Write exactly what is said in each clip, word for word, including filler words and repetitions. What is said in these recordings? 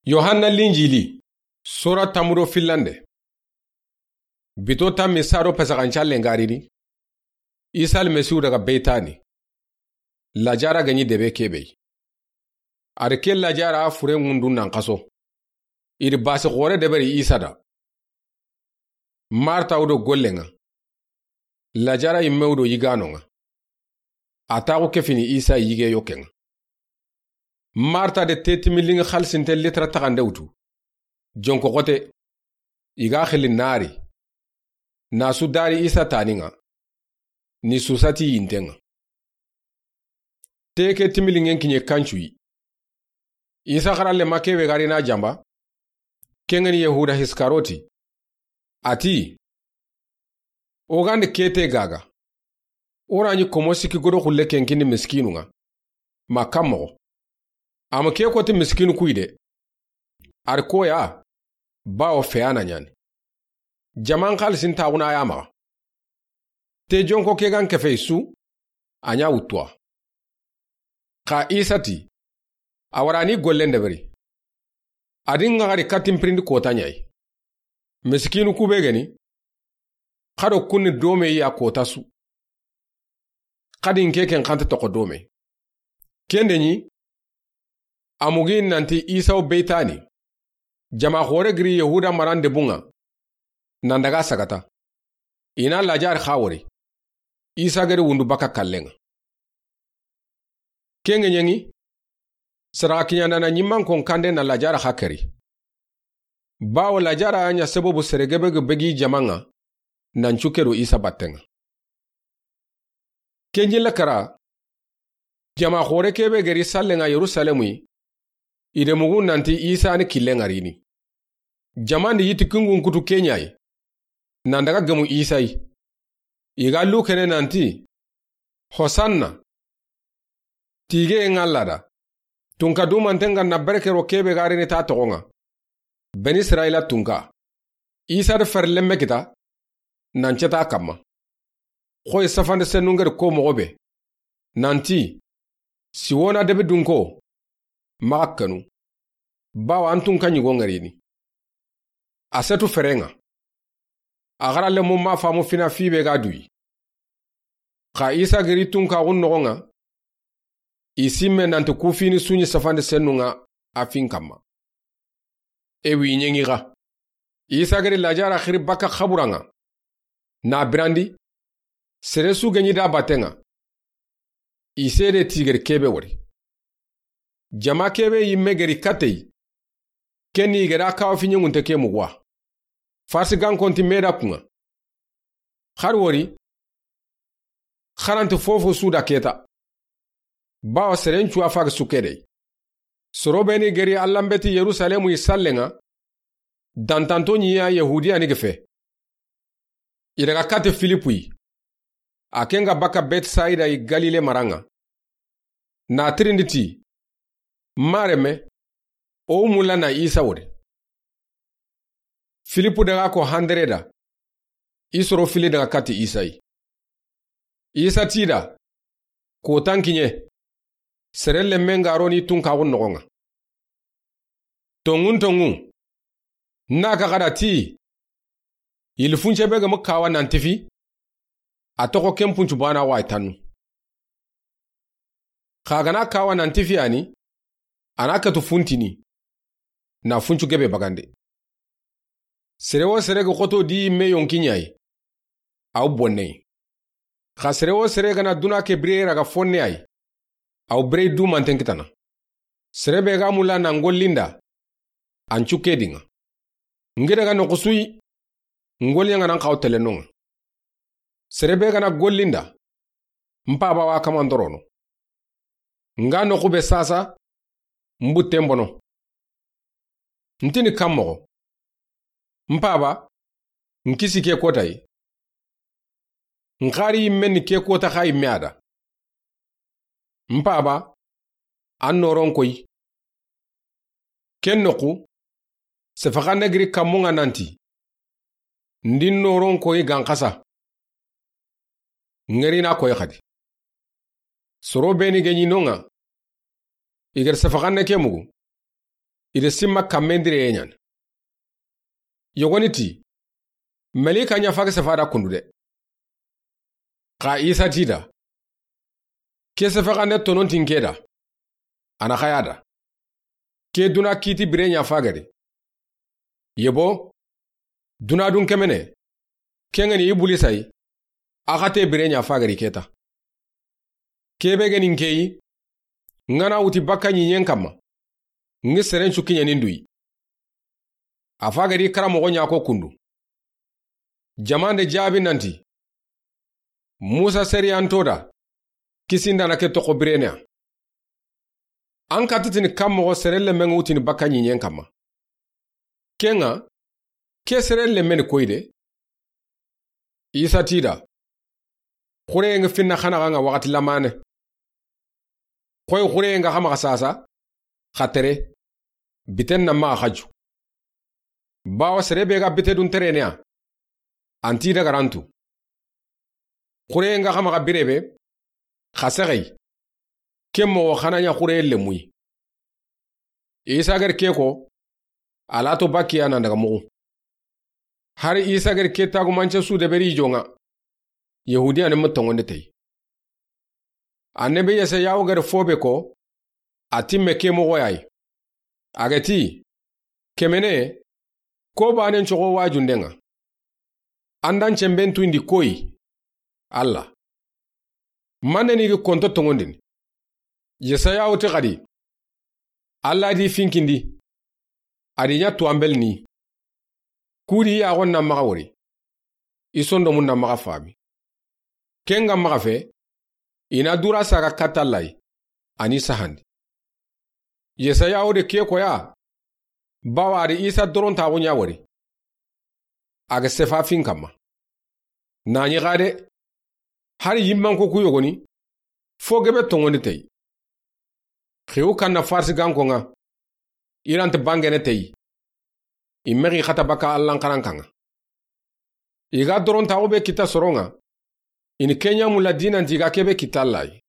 Yohanna Linjili, sura tanmu do fillande. Bito tanmi sado pasaxancallen ga rini, Isa Almasihu daga Beytani, Lajara ga ɲi debe kebe yi. A ri ke Lajara furen ŋundu nan xaso. I ri basi xoore deberi Isa da. Marta wo do gollen ŋa. Lajara yimme wo do yigaanon ŋa. A taaxu kefini Isa yige yokken ŋa. Marta de te timiliŋi xalisinten litira taxande wutu. Jonko xote, i ga xili naari. Na su dari Isa taanin ŋa, ni suusa ti yinten ŋa. Te ke timiliŋen kiɲe kancu yi. Isa xaralle ma kebe ga ri na janba. Ken ŋa ni Yahuda Iskaroti. A ti, o ga ndi kete gaga, o ra ɲi komo sikki godo xulle ken kini miskinu ŋa. Ma kan moxo. A ma ke koti miskinu ku yi de. A ri koya, bawo feyana ɲaani. Jaman xalisin taaxuna ya maxa. Te jonko ke ga n kefe su, a ɲa wuttuwa. Xa Isa ti, a wara ni gollen deberi. A di ŋa xari katin pirindi kota ɲa yi. Miskinu ku be geni, xado kunni dome ya kota su. Xadi n ke ken xante toxo dome. Kende ɲi, a mugi nanti Isa wo Beytani. Jama xoore giri Yahuda marande bunŋa. Nan daga sagata. I na Lajara xa wori. Isa geri wundu baka kallen ŋa. Ken ŋa ɲeŋi, saraxa kiɲandana ɲimman kon kande na Lajara xa keri. Bawo Lajara ya ɲa sababu sere gebe ge begi jaman ŋa, nan cuke do Isa batten ŋa. Ken jille kara, jama xoore kebe geri sallen ŋa Yerusalemu yi, i de mugu nanti Isa ni killen ŋa rini. Jaman di yiti kingun kutu ke ɲa yi. Nan daga gemu Isa yi. I ga lu kene nanti, Hosanna. Tige ŋa Alla da. Tunka dumanten ŋa na bereke ro kebe ga rini ta toxon ŋa. Beni Israila tunka. Isa de fere lemme kita. Nan ceta kamma. Xoyi safande sennu ŋeri ko moxo be. Nanti, Siwona debe dunko. Maxa kenu. Bawo an tunka ɲigo ŋerini. A setu feren ŋa. A xaralle mu ma famu fina fibe ga duyi. Xa Isa giri tunkaxun noxon ŋa. I simme nanti ku fini su ɲi safande sennu ŋa a fin kamma. E wi ɲeŋi xa. Isa giri Lajara xiri baka xaburan ŋa. Na birandi. Sere su geɲi da batten ŋa. I sede tigeri kebe wori. Jama kebe yimme geri katey. Kenni gera kawa fi ɲeŋunte ke muguwa. Farsi gankonti meda kunŋa. Xari wori. Xaranti fofo su da keta. Bawo seren cuwa fagi su kedey. Soro beni geri Alla n beti Yerusalemu yi sallen ŋa. Dantanto ɲi ya Yahudiya ni gefe. I daga kati Filipu yi. A ken ga baka Betsaida yi Galile maran ŋa. Na tirindi ti, Mareme, o mulla na Isa wori. Filipu daga ko handere da. I soro fili daga kati Isa yi. Isa ti da, kotan kiɲe. Sere lemme ŋa ro ni tunkaxun noxon ŋa. Tonŋun tonŋu. Na ka xada ti. Yili funce be ga mu kawa nan tifi. A toxo ken puncu bana wa tannu. Xa gana kawa nan tifi ani. A na katu funtini. Na funcu gebe bagande. Sere wo sere ga xoto di yimme yonki ɲa yi. Aw bonne yi. Xa sere wo sere gana duna ke bire raga fonne yi. Aw bire dumanten kitana. Sere be ga mulla na ŋollinda. An cuke dinŋa. Ngi daga noxu su yi. Ŋolli ɲa ŋa nan xaw tele noŋa. Sere be gana gollinda. N paba wa kamandorono. Nga noxu be sasa. N butten bono. Ntini kan moxo. N paba. N kisi ke kota yi. N xari yimme ni ke kota xa yimme ada. N paba. An noron koyi. Ken noxu. Sefaxanne giri kammun ŋa nanti. Ndin noron koyi gan xasa. Ŋerina koyi xadi. Soro beni geɲi noŋa. Iger sefaxanne ke mugu. I da sinma kanmendireye ɲaana. Yogoni ti, Malika ɲa faage sefa da kundu de. Xa Isa ti i da, ke sefexande tononti n ke da, a na xaya da. Ke duna kiiti bire ɲa faageri. Yebo, duna dun kemene, ke ŋa ni Ibulisa yi, a xate bire ɲa faageri ke ta. Ke be ga ni n ke yi, n ga na wuti bakka ɲiiɲen kanma, n gi seren su kiɲeni n du yi. A faageri karamoxo ɲa ko kundu. Jamaane jaabi nanti, Musa sariyanto da, kisindaana ke toxo birene ya. An katitini kan moxo sere lenme ŋa wutini bakka ɲiiɲen kanma. Ke ŋa, ke sere lenme ni koyi de. Isa ti i da, xureye ŋa finna xanaxa ŋa waxati lamaane. Xoyi xureye ŋa xa maxa saasa, xa tere, biten na maxa xaju. Bawo sere be ga bite dun terene ya, an ti i da ga ra n tu. Xureye ŋa xa maxa bire be, xa sexeyi. Ke moxo xa na ɲa xureye lenmu yi. Isa ga ri ke ko, a la to bakkiya nan daga muxu. Hari Isa ga ri ke taagumance su deberi i jo ŋa, Yahudiyanen ma tonŋonde teyi. Annabi Yesaya wo ga ri fo be ko, a timme ke moxo ya yi. A ga ti, kemene, ko baanen coxo waajunden ŋa. An da n cemben tuyindi koyi, Alla. Mane ni gi konto tonŋondini. Yesaya wo ti xadi, Alla di finkindi, a di ɲa tuwanbelini. Ku di yaaxon na maxa wori, i sondomun na maxa faami. Ke ŋa maxa fe, i na dura saga katta Alla yi, a ni sahandi. Yesaya wo de ke koya, bawo a di Isa dorontaxu ɲa wori. A ga sefa fin kanma. Na ɲi xa de, hari yinmanko ku yogoni, fo gebe tonŋondi teyi. Xiwu kanna Farisi ganko ŋa, i ra nta bangene teyi. I mexi xata bakka Allan xarankan ŋa. I ga dorontaxu be kita soron ŋa, i ni ke ɲa mulla dinanti i ga kebe kita Alla yi.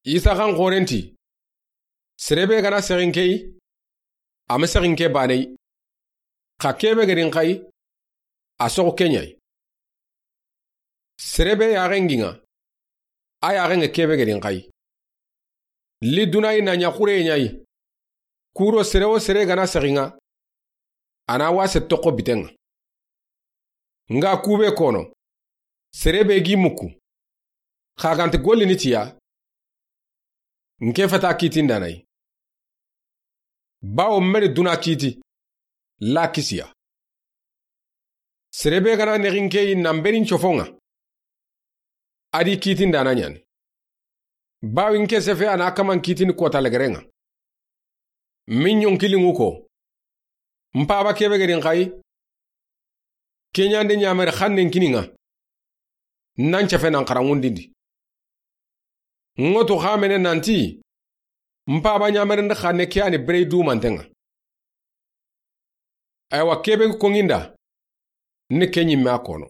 Isa xan xoren ti, sere be ga na sexi n ke yi, a ma sexi n ke baane yi. Xa kebe ga ri n xa yi, a soxu ke ɲa yi. Sere be yaaxen gi ŋa, a yaaxen ŋa kebe ga ri n xa yi. Li duna yi na ɲa xureye ɲa yi. Kuro sere wo sere ga na sexi n ŋa, a na wase toxo biten ŋa. N ga kube kono, sere be gi muku, xa ga nta gollini tiya, n ke fata kiitindaana yi. Bawo n meri duna kiiti, la kisiya. Sere be ga na nexi n ke yi na n beri n cofon ŋa, a di kiitindaana ɲaani. Bawo n ke sefe a na kaman kiitini kota legeren ŋa. Min ɲonkiliŋu ko, n paaba kebe ga ri n xa yi, ke ɲande ɲamere xannen kini n ŋa, n na n cefe na n xaranŋundindi. N ŋa tu xa mene nanti, n paaba ɲamerende xanne ke ya ni bire dumanten ŋa. Aywa kebe koŋinda, ni ke ɲimme a kono.